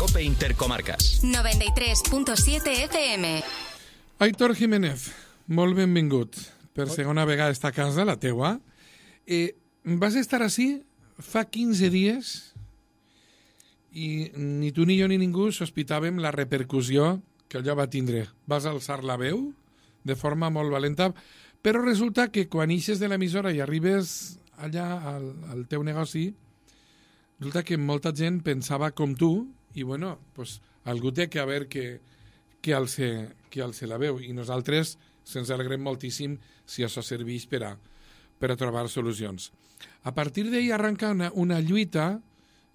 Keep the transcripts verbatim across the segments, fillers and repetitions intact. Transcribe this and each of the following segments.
COPE Intercomarques. noventa y tres punto siete F M. Aitor Jiménez, molt benvingut per segona vegada a esta casa, la teua. Eh, vas estar així fa quinze dies i ni tu ni jo ni ningú sospitàvem la repercussió que allò va tindre. Vas alçar la veu de forma molt valenta, però resulta que quan ixes de l'emissora i arribes allà al, al teu negoci, resulta que molta gent pensava com tu i, bueno, pues, algú té que haver que, que, alce, que alce la veu. I nosaltres se'ns alegrem moltíssim si això serveix per a, per a trobar solucions. A partir d'ahir arranca una, una lluita.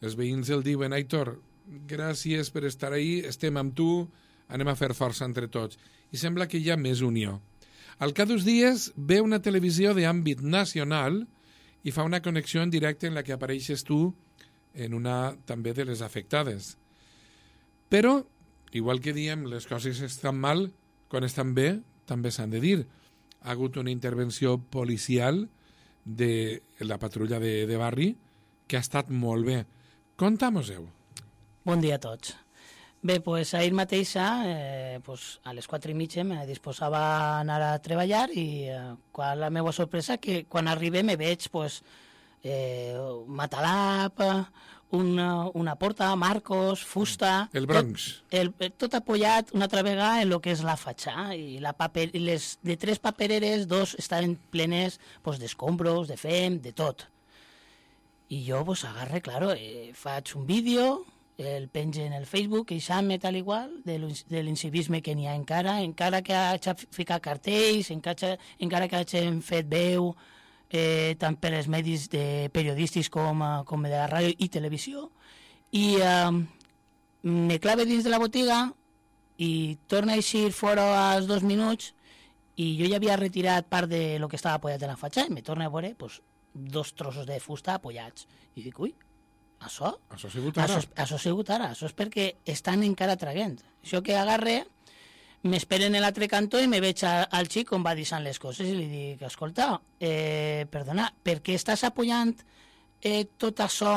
Els veïns el diuen: Aitor, gràcies per estar ahí, estem amb tu, anem a fer força entre tots. I sembla que hi ha més unió. Al cap d'uns dies ve una televisió d'àmbit nacional i fa una connexió en directe en la que apareixes tu en una també de les afectades. Però, igual que diem les coses estan mal, quan estan bé també s'han de dir. Ha hagut una intervenció policial de la patrulla de, de barri que ha estat molt bé. Conta-mos-ho. Bon dia a tots. Bé, pues, ahir mateixa, eh, pues, a les quatre i mitja, me disposava a anar a treballar i eh, quan la meva sorpresa que quan arribé me veig pues, eh, matalap, una, una porta, marcos, fusta... El Bronx. Tot, el, tot apoyat una altra vegada en el que és la fatxà. I la paper, les, de tres papereres, dos estaven plenes pues, d'escombros, de fem, de tot. I jo pues, agarre, claro, eh, faig un vídeo, el penge en el Facebook, queixant-me tal igual de l'incivisme que n'hi ha encara, encara que hagi ficat cartells, encara, encara que hagin fet veu, eh, tant per als medis de periodístics com, com de la ràdio i televisió, i eh, me clave dins de la botiga i torna a eixir fora als dos minuts i jo ja havia retirat part de lo que estava apoyat en la fatxà i me torna a veure pues, dos trossos de fusta apoyats. I dic, ui, això? Això ha sigut ara. Això, això ha sigut ara. Això és perquè estan encara traguent. Això que agarre, m'esperen en l'altre cantó i me veig a, al xic com va deixant les coses i li dic, escolta, eh, perdona, per què estàs apoyant eh, tot això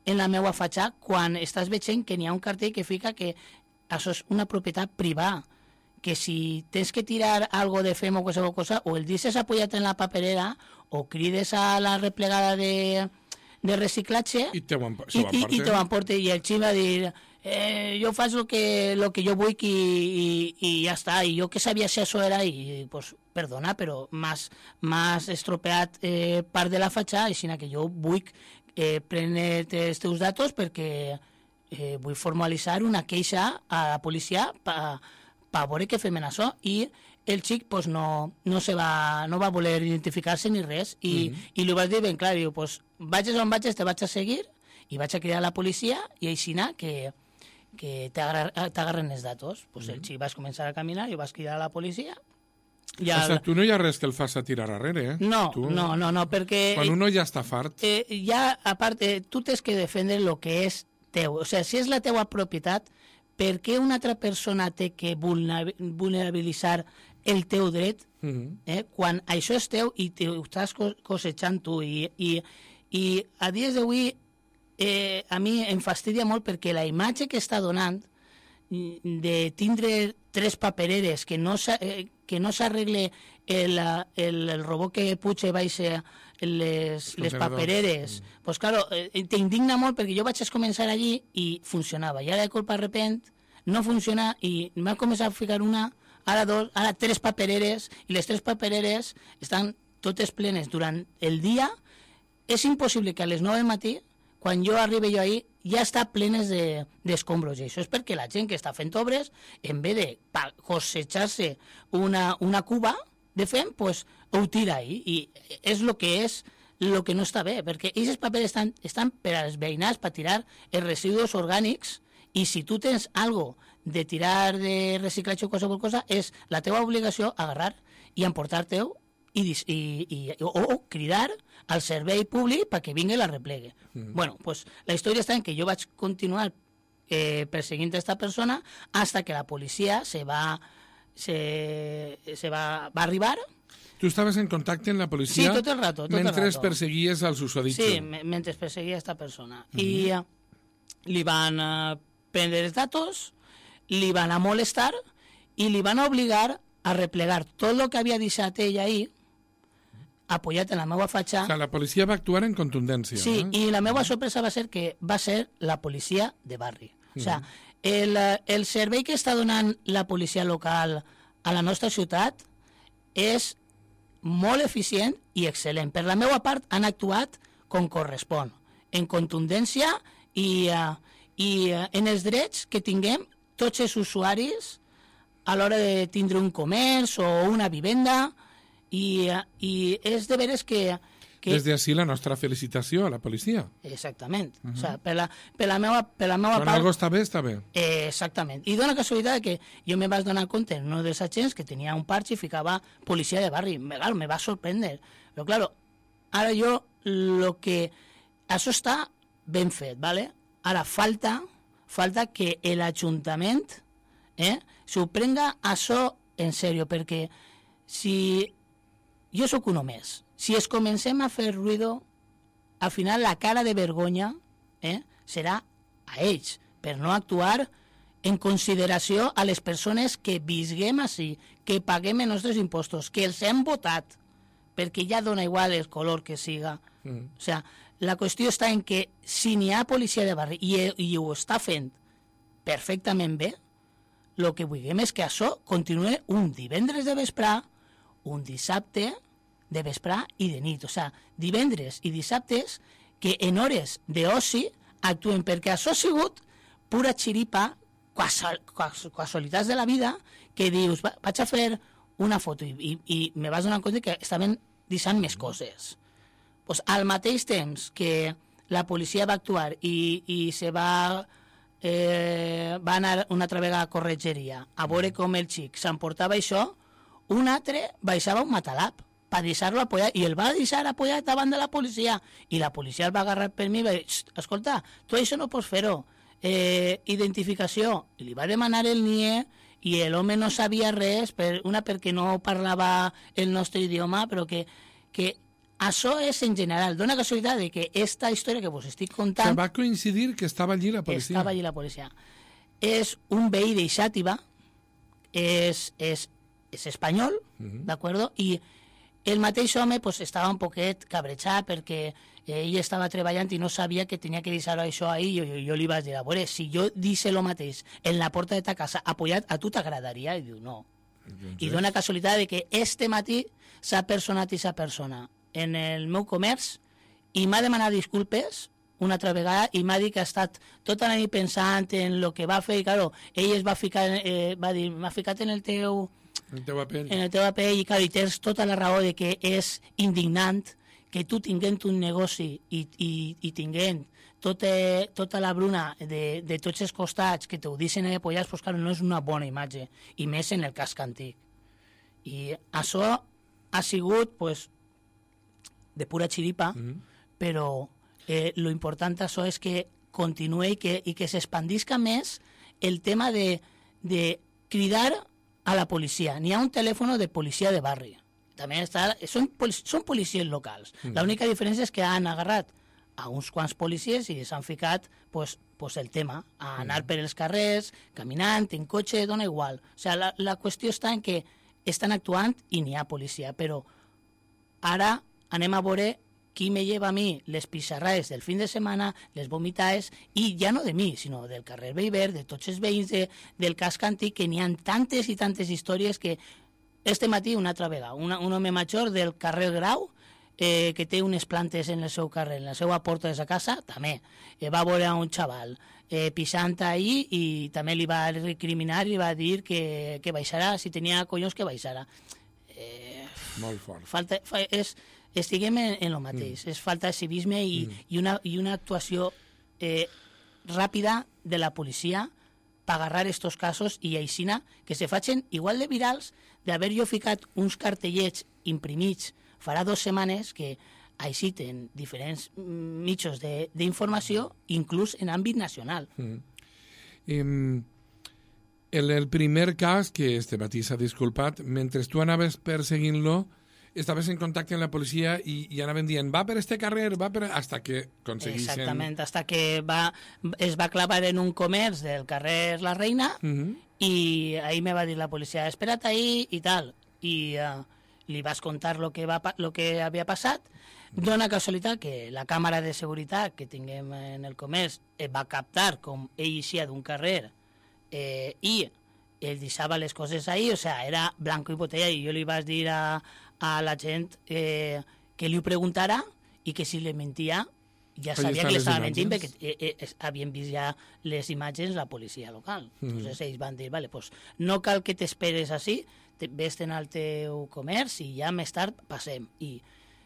en la meva fatxà quan estàs veient que n'hi ha un cartell que fica que això és una propietat privada, que si tens que tirar algo de fem o qualsevol cosa, o el deixes apoyat en la paperera o crides a la replegada de, de reciclatge i te ho i, i, i te ho emporte. I el xic va dir, eh, jo faig el que, lo que jo vull i, i, i ja està, i jo que sabia si això era, i pues, perdona, però m'has estropeat eh, part de la fatxà, així que jo vull eh, prendre els teus datos perquè eh, vull formalitzar una queixa a la policia per per veure què fem en això, i el xic pues, no, no, se va, no va voler identificar-se ni res, i, mm-hmm. i li vaig dir ben clar, diu, pues, vagis on vagis, te vaig a seguir, i vaig a cridar a la policia, i així que, que t'agarren els datos. Pues, mm-hmm. El xic vas començar a caminar, i vas cridar a la policia. Ja... O sigui, tu no hi ha res que el fas a tirar arrere, eh? No, tu... no, no, no, perquè... Quan uno ja està fart... Eh, ja, a part, eh, tu tens que defendre el que és teu. O sigui, si és la teua propietat, per què una altra persona té que vulnerabilitzar el teu dret mm-hmm. eh, quan això és teu i ho estàs cosechant tu? I, i, i a dies d'avui eh, a mi em fastidia molt perquè la imatge que està donant de tindre tres papereres que no, eh, que no s'arregle el, el, el robot que puja i baixa les, les papereres, mm. pues claro, eh, t'indigna molt perquè jo vaig començar allí i funcionava, i ara de colpa de repent no funciona i m'ha començat a ficar una, ara dos, ara tres papereres, i les tres papereres estan totes plenes durant el dia. És impossible que a les nou del matí, quan jo arribi jo ahir, ja està plenes d'escombros, de, i això és perquè la gent que està fent obres, en vez de cosejar-se una, una cuba de fem, pues, ho tira ahí, i és el que és el que no està bé, perquè aquests papers estan, estan per als veïnats per tirar els residus orgànics, i si tu tens algo de tirar de reciclatge o qualsevol cosa, és la teva obligació agarrar i emportar-te-ho i, i, i, o, o cridar al servei públic perquè vingui i la replegue. Mm. Bueno, pues la història està en que jo vaig continuar eh, perseguint a esta persona hasta que la policia se va, se, se va, va arribar. Tu estaves en contacte amb la policia sí, tot el rato, tot mentre el rato. perseguies al susodicho. Sí, mentre perseguia a esta persona. Mm-hmm. I uh, li van uh, prendre els datos, li van a molestar i li van a obligar a replegar tot el que havia deixat ell ahir, apoyat en la meva fatxa. O sea, la policia va actuar en contundència. Sí, eh? i la meva sorpresa va ser que va ser la policia de barri. O sea, el, el servei que està donant la policia local a la nostra ciutat és molt eficient i excel·lent. Per la meva part han actuat com correspon, en contundència i, uh, i uh, en els drets que tinguem tots els usuaris a l'hora de tindre un comerç o una vivenda, i, uh, i és de veres que... que... Des d'ací la nostra felicitació a la policia. Exactament. Uh -huh. O sea, per, la, per la meva, per la meva Quan part... algo està bé, està bé. Eh, exactament. I dona casualitat que jo me vaig donar compte en un dels agents que tenia un parche i ficava policia de barri. Me, claro, me va sorprendre. Però, claro, ara jo, lo que... Això està ben fet, ¿vale? Ara falta, falta que l'Ajuntament eh, s'ho prenga això en sèrio, perquè si... Jo sóc un més. Si es comencem a fer ruïdo, al final la cara de vergonya eh, serà a ells, per no actuar en consideració a les persones que visguem així, que paguem els nostres impostos, que els hem votat, perquè ja dona igual el color que siga. Mm. O sea, la qüestió està en que si n'hi ha policia de barri i, i ho està fent perfectament bé, el que vulguem és que això continuï un divendres de vesprà, un dissabte de vesprà i de nit. O sigui, divendres i dissabtes que en hores d'oci actuen, perquè això ha sigut pura xiripa, casualitats de la vida, que dius, va, vaig a fer una foto i, i, i me vas donar compte que estaven deixant més coses. Pues, al mateix temps que la policia va actuar i, i se va, eh, va anar una altra vegada a corretgeria a veure com el xic s'emportava això, un altre baixava un matalap per deixar-lo apoyat, i el va deixar apoyat davant de la policia, i la policia el va agarrar per mi i va dir, escolta, tu això no pots fer-ho, eh, identificació, i li va demanar el N I E, i l'home no sabia res, per, una perquè no parlava el nostre idioma, però que, que això és en general, dona casualitat de que esta història que vos estic contant... O sea, va coincidir que estava allí la policia. Estava allí la policia. És un veí de Xàtiva, és, és, és espanyol, uh-huh. d'acord? I el mateix home pues, estava un poquet cabrejat perquè ell estava treballant i no sabia que tenia que deixar això ahí, i jo, jo, jo li vaig dir, a veure, si jo dice lo mateix en la porta de ta casa apoyat, a tu t'agradaria? I diu, no. Entonces... I dona casualitat de que este matí s'ha personat i s'ha persona en el meu comerç i m'ha demanat disculpes una altra vegada i m'ha dit que ha estat tota la nit pensant en el que va fer i, claro, ell es va ficar, eh, va dir, m'ha ficat en el teu... En el teu paper. En el teu paper, i, clar, i tens tota la raó de que és indignant que tu tinguent un negoci i, i, i tinguent tota, tota la bruna de, de tots els costats que t'ho deixen apoyats, pues, clar, no és una bona imatge, i més en el casc antic. I això ha sigut, pues, de pura xiripa, mm-hmm. però eh, lo important això és que continuï i que, i que s'expandisca més el tema de, de cridar a la policia. N'hi ha un telèfon de policia de barri. També està, són, són policies locals. Mm. L'única diferència és que han agarrat a uns quants policies i s'han ficat pues, pues el tema, a anar mm. per els carrers, caminant, en cotxe, dona igual. O sigui, la, la qüestió està en que estan actuant i n'hi ha policia, però ara anem a veure qui me lleva a mi les pissarrades del fin de setmana, les vomitades, i ja no de mi, sinó del carrer Bellver, de tots els veïns de, del casc antic, que n'hi ha tantes i tantes històries que este matí una altra vegada, una, un home major del carrer Grau, eh, que té unes plantes en el seu carrer, en la seva porta de sa casa, també, eh, va veure un xaval eh, pixant ahí i també li va recriminar i va dir que, que baixarà, si tenia collons que baixarà. Eh, Molt fort. Falta, fa, és... Estiguem en, en el mateix, mm. és falta de civisme i, mm. i, una, i una actuació eh, ràpida de la policia per agarrar estos casos i aixina que se facin igual de virals d'haver jo ficat uns cartellets imprimits farà dues setmanes que aixiten diferents mitjans d'informació, inclús en àmbit nacional. Mm. Um, el, el primer cas, que este matí s'ha disculpat, mentre tu anaves perseguint-lo, estaves en contacte amb la policia i, i anaven dient va per este carrer, va per... hasta que aconseguissin... Exactament, hasta que va, es va clavar en un comerç del carrer La Reina uh -huh. i ahí me va dir la policia, espera't ahí i tal. I uh, li vas contar lo que, va, lo que havia passat. Dona casualitat que la càmera de seguretat que tinguem en el comerç va captar com ell eixia d'un carrer eh, i ell deixava les coses ahí, o sea, era blanco i botella, i jo li vaig dir a, a la gent eh, que li ho preguntara i que si li mentia ja sabia que li estava mentint perquè eh, eh, havien vist ja les imatges la policia local. Mm. Entonces ells van dir, vale, pues no cal que t'esperes així, te, vés-te'n al teu comerç i ja més tard passem. I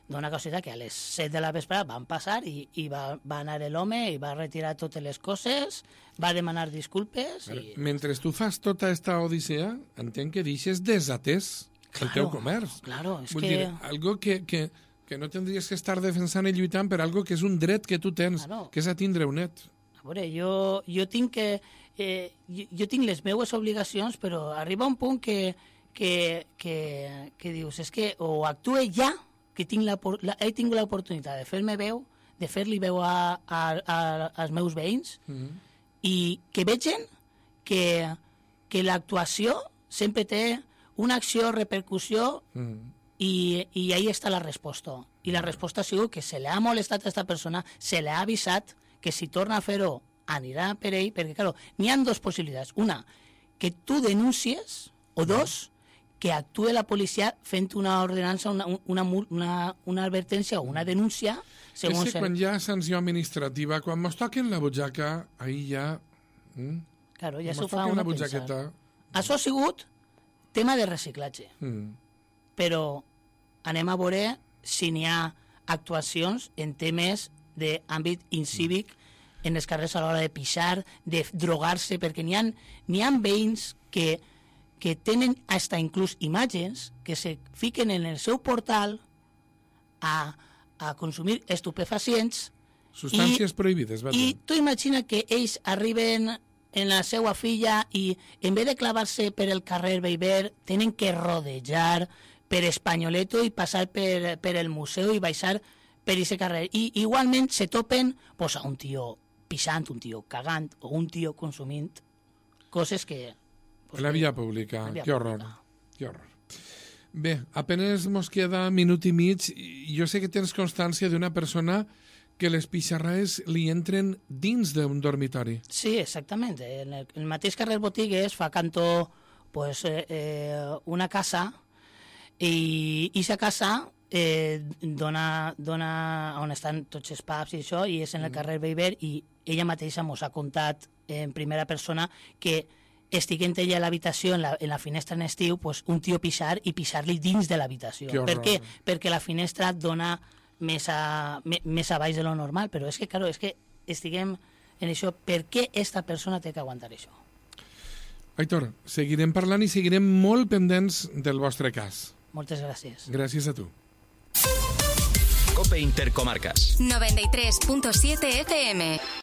dona casualitat que a les set de la vesprada van passar i, i va, va anar l'home i va retirar totes les coses, va demanar disculpes. I... Mentre tu fas tota aquesta odissea, entenc que deixes desatès claro, el teu comerç. Claro, és Vull que... dir, algo que, que, que no tindries que estar defensant i lluitant per algo que és un dret que tu tens, claro. Que és a tindre un net. A veure, jo, jo tinc que... Eh, jo, jo tinc les meues obligacions, però arriba un punt que, que, que, que dius, és que o actue ja, que tinc la, la, he tingut l'oportunitat de fer-me veu, de fer-li veu a, a, a, als meus veïns, mm-hmm. i que vegin que, que l'actuació sempre té una acció, repercussió, mm. i, i ahí està la resposta. I la resposta ha sigut que se li ha molestat a aquesta persona, se li ha avisat que si torna a fer-ho anirà per ell, perquè, clar, n'hi ha dues possibilitats. Una, que tu denuncies, o dos, que actue la policia fent una ordenança, una, una, una, una advertència o una denúncia. És que quan hi ha sanció administrativa, quan mos toquen la butxaca, ahí ja... Mm? Claro, ja s'ho fa una pensar. Això ha sigut tema de reciclatge. Mm. Però anem a veure si n'hi ha actuacions en temes d'àmbit incívic mm. en els carrers a l'hora de pixar, de drogar-se, perquè n'hi ha, n'hi ha veïns que, que tenen hasta inclús imatges que se fiquen en el seu portal a, a consumir estupefacients. Substàncies i, prohibides, va dir. I tu imagina que ells arriben en la seva filla i en vez de clavar-se per el carrer Beiber tenen que rodejar per Espanyoleto i passar per, per el museu i baixar per aquest carrer. I igualment se topen pues, a un tio pixant, un tio cagant o un tio consumint coses que... Pues, la via pública, que horror, que horror. Bé, apenas mos queda minut i mig. Jo sé que tens constància d'una persona que les pixarraes li entren dins d'un dormitori. Sí, exactament. En el, el mateix carrer Botigues fa cantó pues, eh, eh, una casa i aquesta casa eh, dona, dona on estan tots els pubs i això, i és en el carrer Beiber, i ella mateixa mos ha contat en primera persona que estiguent ella a l'habitació, en, la, en la finestra en estiu, pues, un tio pixar i pixar-li dins de l'habitació. Per què? Perquè la finestra dona més, a, més a baix de lo normal, però és que, claro, és que estiguem en això. Per què esta persona té que aguantar això? Aitor, seguirem parlant i seguirem molt pendents del vostre cas. Moltes gràcies. Gràcies a tu. Cope Intercomarcas. noventa y tres punto siete F M.